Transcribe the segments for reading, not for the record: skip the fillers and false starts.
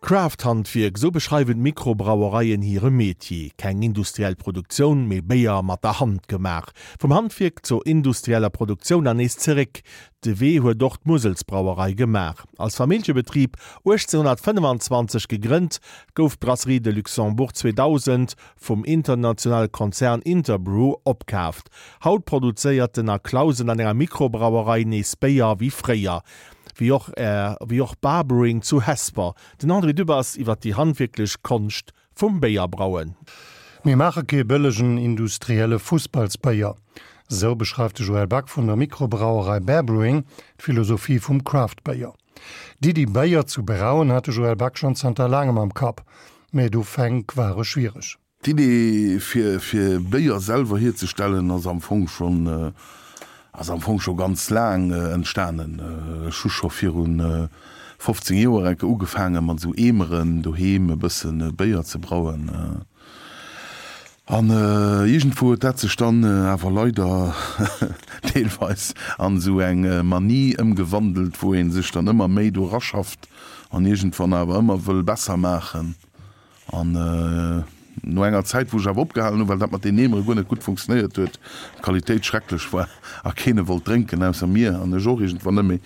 Craft-Handwierk, esou beschreiwen d'Mikrobrauereien hire Metier. Keng industriell Produktioun, mee Béier mat der Hand gemaach. Vum Handwierk zur industrieller Produktioun an nees zeréck. De Wee huet och d'Muselsbrauerei gemaach. Als Familljebetrib 1825 gegrënnt, gouf d'Brasserie de Luxembourg 2000 vum internationale Konzern Interbrew opkaaft. Haut produzéiert den A. Clausen an enger Mikrobrauerei nees Béier wéi fréier. Wéi och wéi och Bar Brewing zu Hesper. Den André Dübbers iwwer déi handwierklech Konscht vum Béierbrauen. Mir maache kee bëllegen industrielle Fussballsbéier. Esou beschreift de Joël Back vun der Mikrobrauerei Bear Brewing d'Philosophie vum Craft-Béier. D'Iddi Béier zu brauen hat de Joël Back schonn zanter laangem am Kapp, mä d'Ufänk ware schwiereg. D'Idee fir fir Béier selwer hierzestellen ass am Fong schonn ass am Fong scho ganz laang entstanen. Ech hu scho viru 15 Joer enke ugefaange mat esou Eemeren doheem e bësse Béier ze brauen. An iergendwou huet dat sech dann awer leider deelweis an esou eng Manie ëmgewandelt, wou ee sech dann ëmmer méi do raschafft an iergendwann awer ëmmer wëll besser maachen. An no enger Zäit, wou ech awer opgehalen hunn, well dat mat den Eemere guer net gutt funktionéiert huet, d'Qualitéit schrecklech war a keen e wollt drénken ausser mir an ech och iergendwann net méi,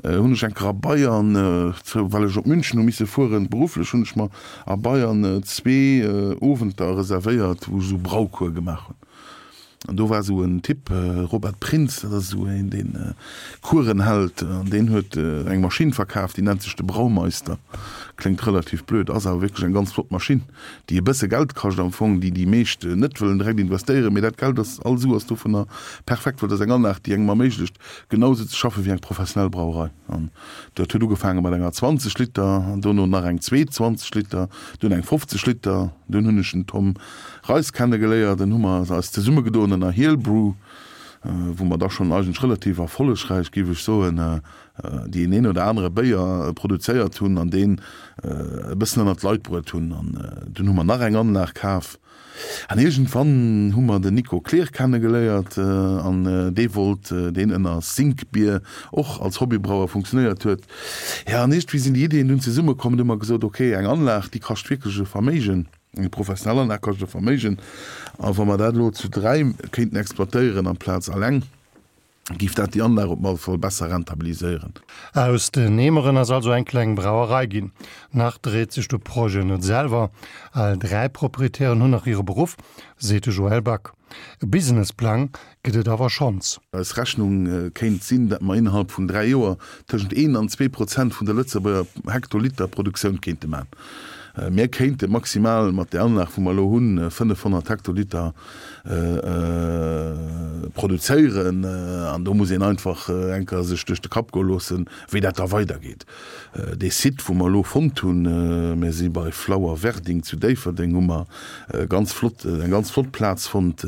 hunn ech eng Kéier a Bayern, well ech op München hu misse fueren, berufflech, hunn ech mer a Bayern zwee Owenter reservéiert, wou ech esou Braucours gemaach hunn. An do war esou en Typ, Robert Prinz, dat ass esou een, deen Coursen hält, an deen huet eng Maschinn verkaf, déi nennt sech de Braumeister. Kléngt relativ blöd, ass awer wierklech eng ganz flott Maschinn, déi e bësse Geld kascht am Fong, déi déi meescht net wëllen direkt investéieren, mee dat Geld ass, all Su ass dovunner perfekt, well dat ass eng Anlag, déi engem erméiglecht, genau esou ze schaffen wéi eng professionell Brauerei. An dat huet ugefaange mat enger 20 Liter, dono nach eng zweet 20 Liter, dunn eng 50 Liter, dunn hunn ech den Tom Reis kennegeléiert, dann hu mer eis zesummegedoen ënner Heelbrew, wou mer da schonn eigentlech relativ erfollegräich, géif ech soen, déi een oder anere Béier produzéiert hunn an deen e bëssen ënnert d'Leit bruet hunn. An dunn hu mer nach eng Anlag kaf an iergendwann hu mer den Nico Kleer kennegeléiert an dee wollt, deen ënner Sinkbier och als Hobbybrauer funktionéiert huet. Jo, an iergendwéi sinn déi Iddien dunn zesummekomm. Dunn hu mer gesot, ok, eng Anlag, déi kascht wierklech e Verméigen. Eng professionell Anlag kascht e Verméigen, a wa mer dat elo zu 3 kéinten exploitéieren amplaz alleng, géif dat déi Anlag op alle Fall besser rentabiliséieren. Aus den Eemeren ass also eng kleng Brauerei ginn. Nach dréit sech de Projet net selwer. All 3 Proprietären hunn nach hire Beruff, seet de Joël Back. E Businessplang gëtt et awer schonns. Eis Rechnung kéint sinn, datt mer innerhalb vun 3 Joer tëschent een an 2% vun der Lëtzebuerger Hektoliterproduktioun kéinte man. Mir kéinte maximal mat där Anlag, wou mer elo hunn, 500 Hektoliter produzéieren. An do muss een einfach eng Kéier sech duerch de Kapp goe loossen, wéi dat da weidergeet. Dee Site, wou mer elo fonnt hunn, mir si bei Flower Werding zu Déifferdeng, hu mer ganz flott, eng ganz flott Plaz fonnt.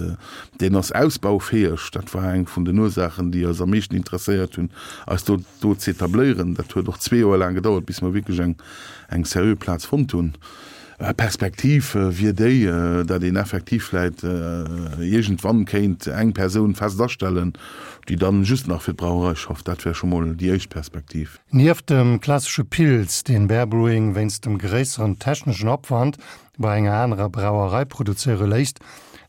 Deen ass ausbaufäeg. Dat war eng vun den Ursaachen, déi eis am meeschten interesséiert hunn, eis do do z'etabléieren. Dat huet och zwee Joer laang gedauert, bis mer wierklech eng eng seriö Plaz fonnt hunn. Perspektiv wier déi, datt een effektiv vläit iergendwann kéint eng Persoun fest astellen, déi dann just nach fir d'Brauerei schafft. Dat wär scho mol déi éischt Perspektiv. Nieft dem klassesche Pils, deen Bear Brewing wéinst dem gréisseren techneschen Opwand bei enger anerer Brauerei produzéiere léisst,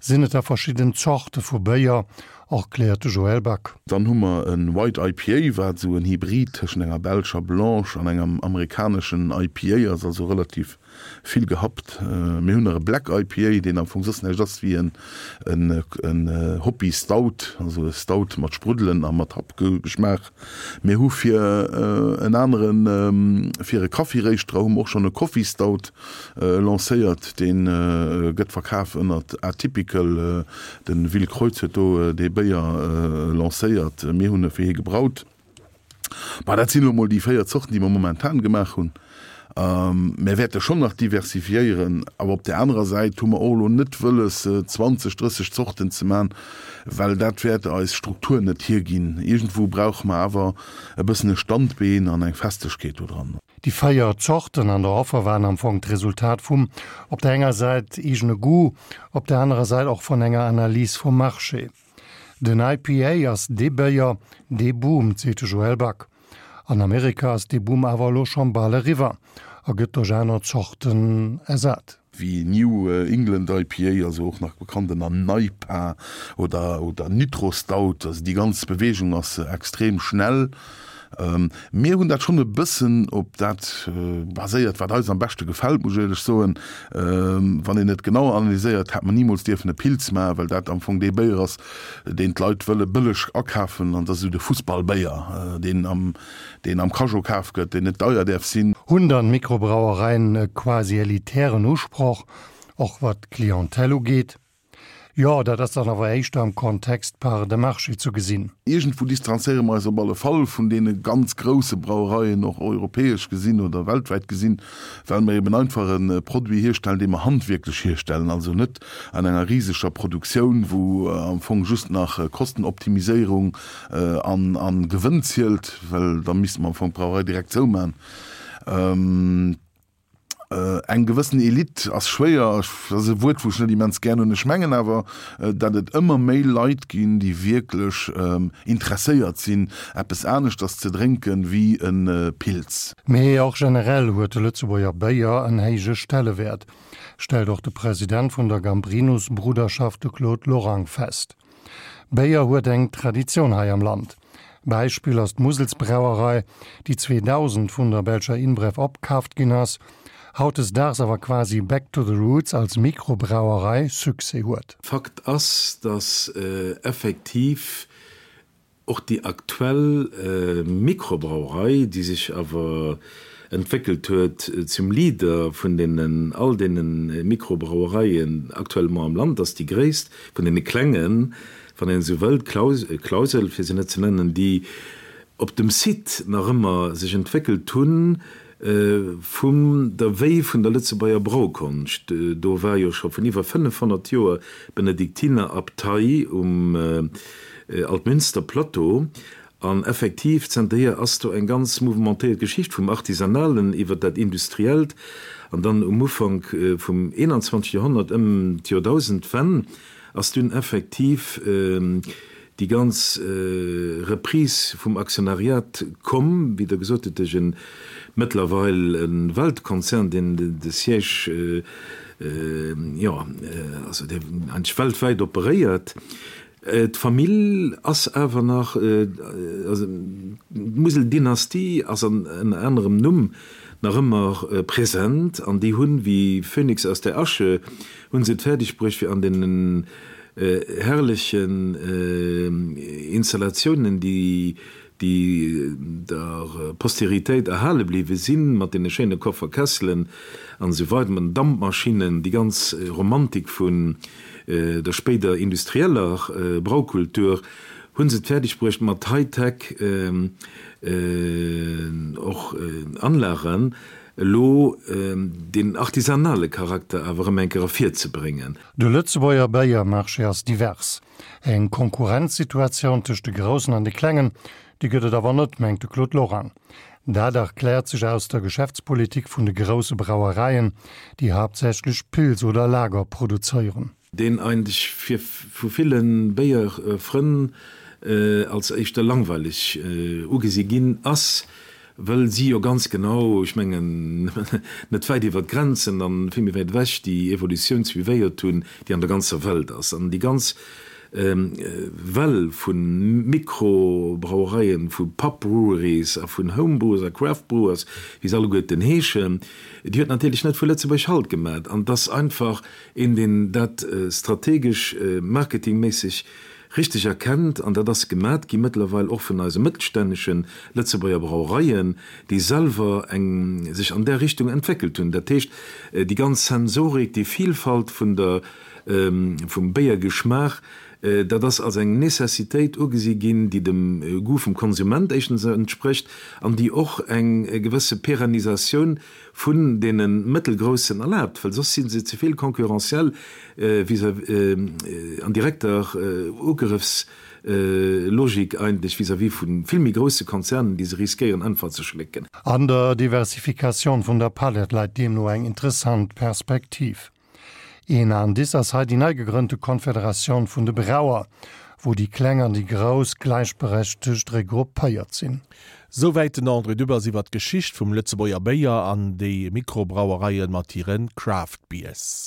sinn et da verschidden Zorte vu Béier, erkläert de Joël Back. Dann hu mer e White IPA, wat esou en Hybrid tëschent enger belscher Blanche an engem amerikaneschen IPA ass, also relativ vill gehappt. Mir hunn nach e Black IPA, deen am Fong soss näischt ass wéi en Hoppy Stout, also e Stout mat Spruddelen a mat Happgeschmaach. Mir hu fir en aneren, fir e Kaffiréischterer hu mer och schonn e Coffee Stout lancéiert. Dee gëtt verkaf ënnert Atypical. De Will Kreutz huet do dee Béier lancéiert. Mir hunn e fir hie gebraut. Bah, dat sinn elo mol déi 4 Zorten, déi mer momentan gemaach hunn. Mär wäerte schonn nach diversifiéieren, awer op där anerer Säit hu mer och elo net wëlles, 20, 30 Zorten ze man, well dat wäert eis Struktur net hierginn. Iergendwou brauche mer awer e bëssen e Standbeen an eng Festegkeet do dran. Déi 4 Zorten an der Offer waren am Fong d'Resultat vum op der enger Säit eegene Goût, op der anerer Säit och vun enger Analys vum Marché. Den IPA ass dee Béier, dee boomt, seet de Joël Back. An Amerika ass dee Boom awer elo schonn bal eriwwer. A gëtt duerch aner Zorten ersat. Wéi New England IPA, also och nach bekannt ënner NEIPA oder oder Nitro Stout. Also déi ganz Beweegung ass extrem schnell. Mir hunn dat schonn e bëssen op dat baséiert, wat eis am beschte gefält, muss ech éierlech soen. Wann een et genau analyséiert, hätt mer nimools dierfen e Pils maachen, well dat am Fong dee Béier ass, deen d'Leit wëlle bëlleg akafen, an dat ass esou de Fussballbéier, deen am deen am Cageot kaf gëtt, deen net deier däerf sinn. Hunn dann d'Mikrobrauereien e quasi elitären Usproch, och wat d'Clientèle ugeet? Jo, dat ass dann awer éischter am Kontext Part de marché zu gesinn. Iergendwou distanzéiere mer eis op alle Fall vun deene ganz grousse Brauereien, och europäesch gesinn oder weltwäit gesinn, well mer eben einfach e Produit hierstellen, dee mer handwierklech hierstellen, also net an enger riseger Produktioun, wou am Fong just nach Kostenoptimiséierung an Gewënn zielt, well da misste mer am Fong d'Brauerei direkt zouman. Eng gewëssen Elite ass schwéier, dat ass e Wuert, wou ech net immens gär hunn. Ech mengen awer, datt et ëmmer méi Leit ginn, déi wierklech interesséiert sinn, eppes aneschters ze drénken wéi e Pils. Mee och generell huet de Lëtzebuerger Béier en héije Stellewäert, stellt och de President vun der Gambrinus-Bruderschaft, de Claude Lorang, fest. Béier huet eng Traditioun hei am Land. Beispill ass d'Muselsbrauerei, déi 2000 vun der belscher InBrev opkaaft ginn ass, hautdesdaags awer quasi back to the roots als Mikrobrauerei Succès huet. Fakt ass, dass effektiv Och déi aktuell Mikrobrauerei, déi sech awer entwéckelt huet zum Leader vun deenen all deene Mikrobrauereien actuellement am Land, ass déi gréisst vun deene klengen, wann een esou wëllt, Clausel, fir se net ze nennen, déi op dem Site nach ëmmer sech entwéckelt hunn, Vum der Wéi vun der Lëtzebuerger Braukonscht, do war jo scho vun iwwer 500 Joer d'Benediktinerabtei um Altmünster-Plateau. An effektiv, zanterhier ass do eng ganz mouvementéiert Geschicht vum Artisanalen iwwer dat Industriellt an dann um Ufank vum 21. Joerhonnert, ëm d'Joerdausendwenn, ass dunn effektiv déi ganz Reprise vum Aktionariat komm, wéi Der gesot hutt, duerch e mëttlerweil e Weltkonzern, deen de Siège, jo, also dee eigentlech weltwäit operéiert. D'Famill ass awer nach, also d'Musel-Dynastie ass an ënner anerem Numm nach ëmmer present an déi hunn, wéi Phönix aus der Asche, hunn se et fäerdeg bruecht, fir an deenen herrlechen Installatiounen, déi der Posteritéit erhale bliwwe sinn, mat deene schéine Kofferkesselen an esou weider, mat den Dampmaschinnen, déi ganz Romantik vun der spéider industrieller Braukultur, hu se et fäerdeg bruecht, mat High-Tech och Anlagen elo deen artisanale Charakter awer erëm eng Kéier ervirzebréngen. De Lëtzebuerger Béiermarché ass divers. Eng Konkurrenzsituatioun tëscht de Groussen an de Klengen, déi gëtt et awer net, mengt de Claude Lorang. Dat erkläert sech aus der Geschäftspolitik vun de grousse Brauereien, déi haaptsächlech Pils oder Lager produzéieren. Deen eigentlech fir vu ville Béierfrënn als éischter langweileg ugesi ginn ass, wëll si jo ganz genau, ech mengen net wäit iwwer d'Grenzen an vill méi wäit ewech, déi Evolutioun suivéiert hunn, déi an der ganzer Welt ass. An déi ganz Well vu Mikrobrauereien, vu Pub Breweries a vun Home Brewers a Craft Brewers, wéi se alleguerten heeschen, déi huet natierlech net vu Lëtzebuerg Halt gemat. An et ass einfach een, deen dat strategesch, marketingméisseg richteg erkennt, an dat ass gemat gi mëttlerweil och vun eise mëttelstännesche Lëtzebuerger Brauereien, déi selwer eng sech an där Richtung entwéckelt hunn. Dat heescht, déi ganz Sensorik, déi Vielfalt vun der, vum Béiergeschmaach, dat ass als eng Necessitéit ugesi ginn, déi dem Goût vum Konsument éischtens entsprécht an déi och eng gewësse Pérennisatioun vun deene Mëttelgroussen erlaabt, well soss si se ze vill concurrentiel vis-à-vis, an direkter Ugrëffslogik eigentlech vis-à-vis vu vill méi grousse Konzernen, déi se riskéieren einfach ze schlécken. An der Diversifikatioun vun der Palett läit deemno eng interessant Perspektiv. Een Indice ass hei déi nei gegrënnte Confederatioun vun de Brauer, wou déi Kleng an déi Grouss gläichberechtegt regroupéiert sinn. Souwäit den André Dübbers iwwer d'Geschicht vum Lëtzebuerger Béier an déi Mikrobrauereien mat hire Craft Beers.